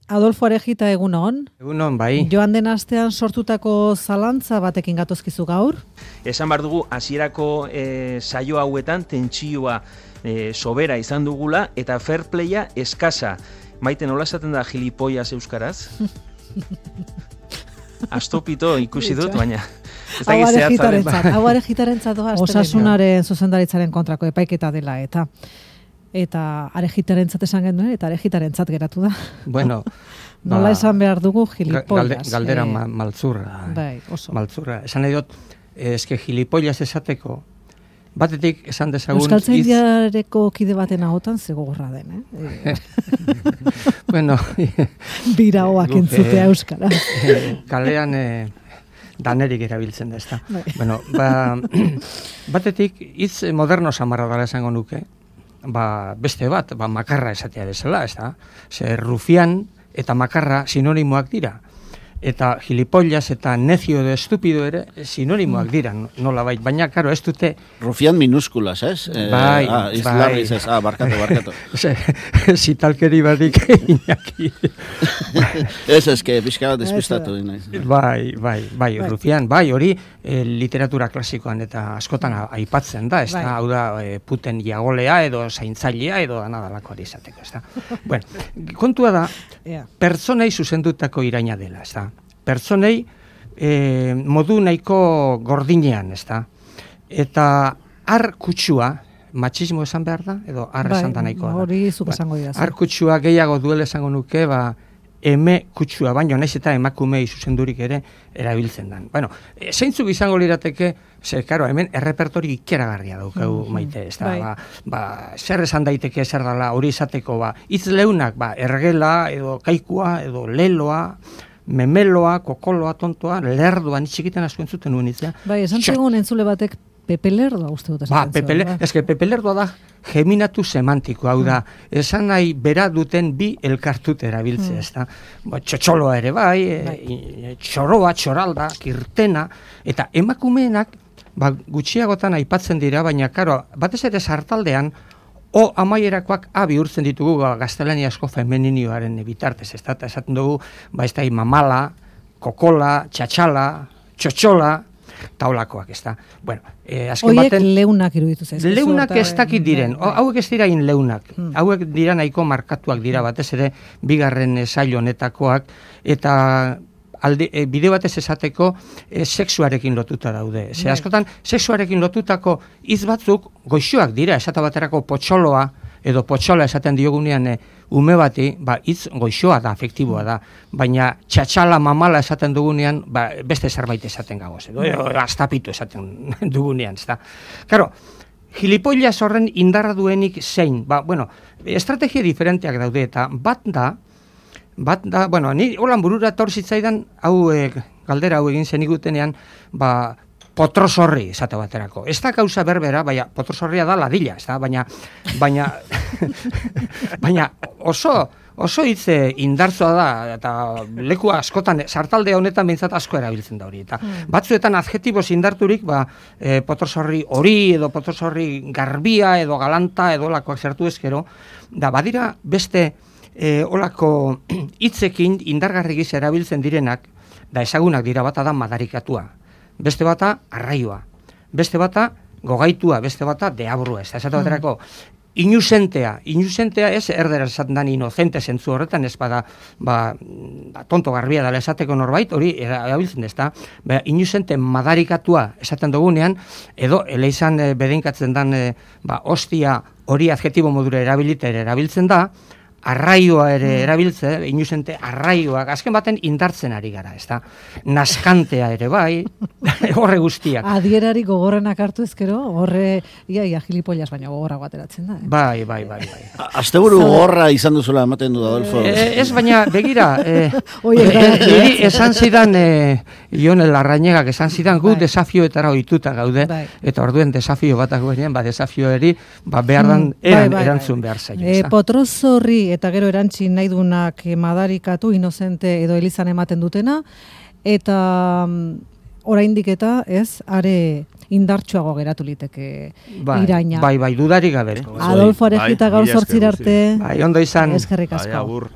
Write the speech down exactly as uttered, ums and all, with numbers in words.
Adolfo Arejita, egunon. Egunon, bai. Joan den astean sortutako zalantza batekin gatozkizu gaur. Esan behar dugu, hasierako e, saio hauetan tentsioa e, sobera izan dugula eta fair playa eskasa. Maite, nola esaten da gilipollas euskaraz? Astopito ikusi dut, baina... Hau Arejitarentzat, hau Arejitarentzat doa. Osasunaren zuzendaritzaren kontrako epaiketa dela, eta... Eta Arejitarentzat esan genuen, eta Arejitarentzat geratu da. Bueno, nola esan behar dugu gilipollas. Galde, galdera eh, ma, maltzurra. Bai, oso. Maltzurra. Esan nahi dut, eske gilipollas esateko, batetik esan dezagun... Euskaltzaindiareko kide baten ahotan zegogorra den, eh? Bueno... Biraoak entzutea euskara. Kalean... Eh, danerik erabiltzen da, ezta. Bueno, ba, batetik hitz moderno samarra dela esango nuke, ba, beste bat, ba, makarra esatea bezala, ezta. Ze rufian eta makarra sinonimoak dira. Eta gilipollas eta necio edo estupido ere sinonimoak dira, nola bait. Baina, karo, ez dute... Rufian minúsculas, ez? Eh? Bai, ah, bai. Ez, ah, barkatu, barkatu. Zitalkeri badik inaki. Ez, ez, que pixka bat despistatu. Bai, bai, bai, rufian, bai, hori eh, literatura klasikoan eta askotan aipatzen da, ez da, hau da, eh, puten jagolea edo zaintzailea edo anadalako ari izateko, ez da. Bueno, kontua da, pertsonei zuzendutako iraina dela, ez da. Pertsonei eh, modu nahiko gordinean, ez da. Eta ar kutsua, matxismo esan behar da, edo ar bai, esan da nahikoa da. Hori zuk esango dira. Ar kutsua gehiago duela esango nuke, ba, eme kutsua, baino naiz eta emakumei zuzendurik ere erabiltzen dan. Bueno, e, zeintzuk izango lirateke, ze, karo, hemen errepertori ikeragarria daukagu mm-hmm. Maite, ez da, bai. ba, ba, zer esan daiteke zer dala hori izateko, ba, hitz leunak, ba, ergela, edo kaikua, edo leloa, memeloa, kokoloa, tontoa, lerdoa, nitxikiten asko entzuten nuen itzea. Bai, esan zegoen entzule batek Pepe Lerdoa uste dut esaten ba, Pepe zuen. Ba, eske Pepe Lerdoa da geminatu semantiko, hau da, mm. esan nahi bera duten bi elkartute erabiltzea, mm. ez da. Ba, txotxoloa ere bai, bai. E, txoroa, txoralda, kirtena, eta emakumeenak, ba, gutxiagotan aipatzen dira, baina, karo, batez ere sartaldean, o amaierakoak A bihurtzen ditugu ba, gaztelaniazko femininioaren bitartez, ez da, eta esaten dugu, ba, ez da, mamala, kokola, txatxala, txotxola, taulakoak, ez da. Bueno, eh, azken Oiek baten... leunak iruditu zaiz. Leunak ez dakit diren, o, hauek ez dira in leunak, hmm. hauek dira nahiko markatuak dira, batez ere, bigarren saio honetakoak, eta... Alde, e, bide batez esateko e, sexuarekin lotuta daude. Ze askotan, sexuarekin lotutako hitz batzuk goixoak dira, esata baterako potxoloa, edo potxola esaten diogunean e, ume bati, ba, hitz goixoa da, afektiboa da, baina txatxala mamala esaten dugunean, ba, beste zerbait esaten gagoz, edo, edo astapitu esaten dugunean, ez da. Karo, gilipollas horren indarra duenik zein, ba, bueno, estrategia diferenteak daude, eta bat da, Bat da, bueno, ni holan burura etor zitzaidan, hau e, galdera hau egin zenigutenean, ba, potrosorri esate baterako. Ez da gauza berbera, baina potrosorria da ladilla, ez da, baina, baina, baina oso, oso hitze indartzoa da, eta leku askotan, sartalde honetan behintzat asko erabiltzen da hori. Eta mm. batzuetan adjetiboz indarturik, ba, e, potrosorri hori, edo potrosorri garbia, edo galanta, edo lakoak zertu ezkero, da badira beste... E, olako hitzekin indargarri gisa erabiltzen direnak, da ezagunak dira, bata da madarikatua, beste bata arraioa, beste bata gogaitua, beste bata deabrua, ez da, esate baterako, inusentea, inusentea ez erdera esaten dan inocente zentzu horretan, ez bada, ba, ba, tonto garbia dela esateko norbait, hori erabiltzen ez da, ba, inusente madarikatua esaten dugunean, edo eleizan e, bedeinkatzen dan, e, ba, ostia hori adjetibo modura erabilitere erabiltzen da, arraioa ere mm. erabiltze, inusente arraioak, azken baten indartzen ari gara, ez da? Naskantea ere bai, horre guztiak. Adierari gogorrenak hartu ezkero, horre, ia, ia, gilipollas baina gogorra guateratzen da. Eh? Bai, bai, bai, bai. Asteburu gogorra izan duzula ematen du, Adolfo. Eh, ez baina, begira, eh, niri esan zidan, eh, Jon Larrañegak esan zidan, gu bai. Desafioetara ohituta gaude, bai. Eta orduen desafio batak guenean, ba, desafioeri, ba, behar dan, mm, eran, bai, bai, erantzun bai. Behar zaio. Eh, potrozorri eta gero erantzi nahi dunak madarikatu, inozente edo elizan ematen dutena, eta oraindik eta ez, are indartsuago geratu liteke bai, iraina. Bai, bai, dudarik gabe. Adolfo Arejita gaur zortzira arte. Bai, ondo izan. Eskerrik asko.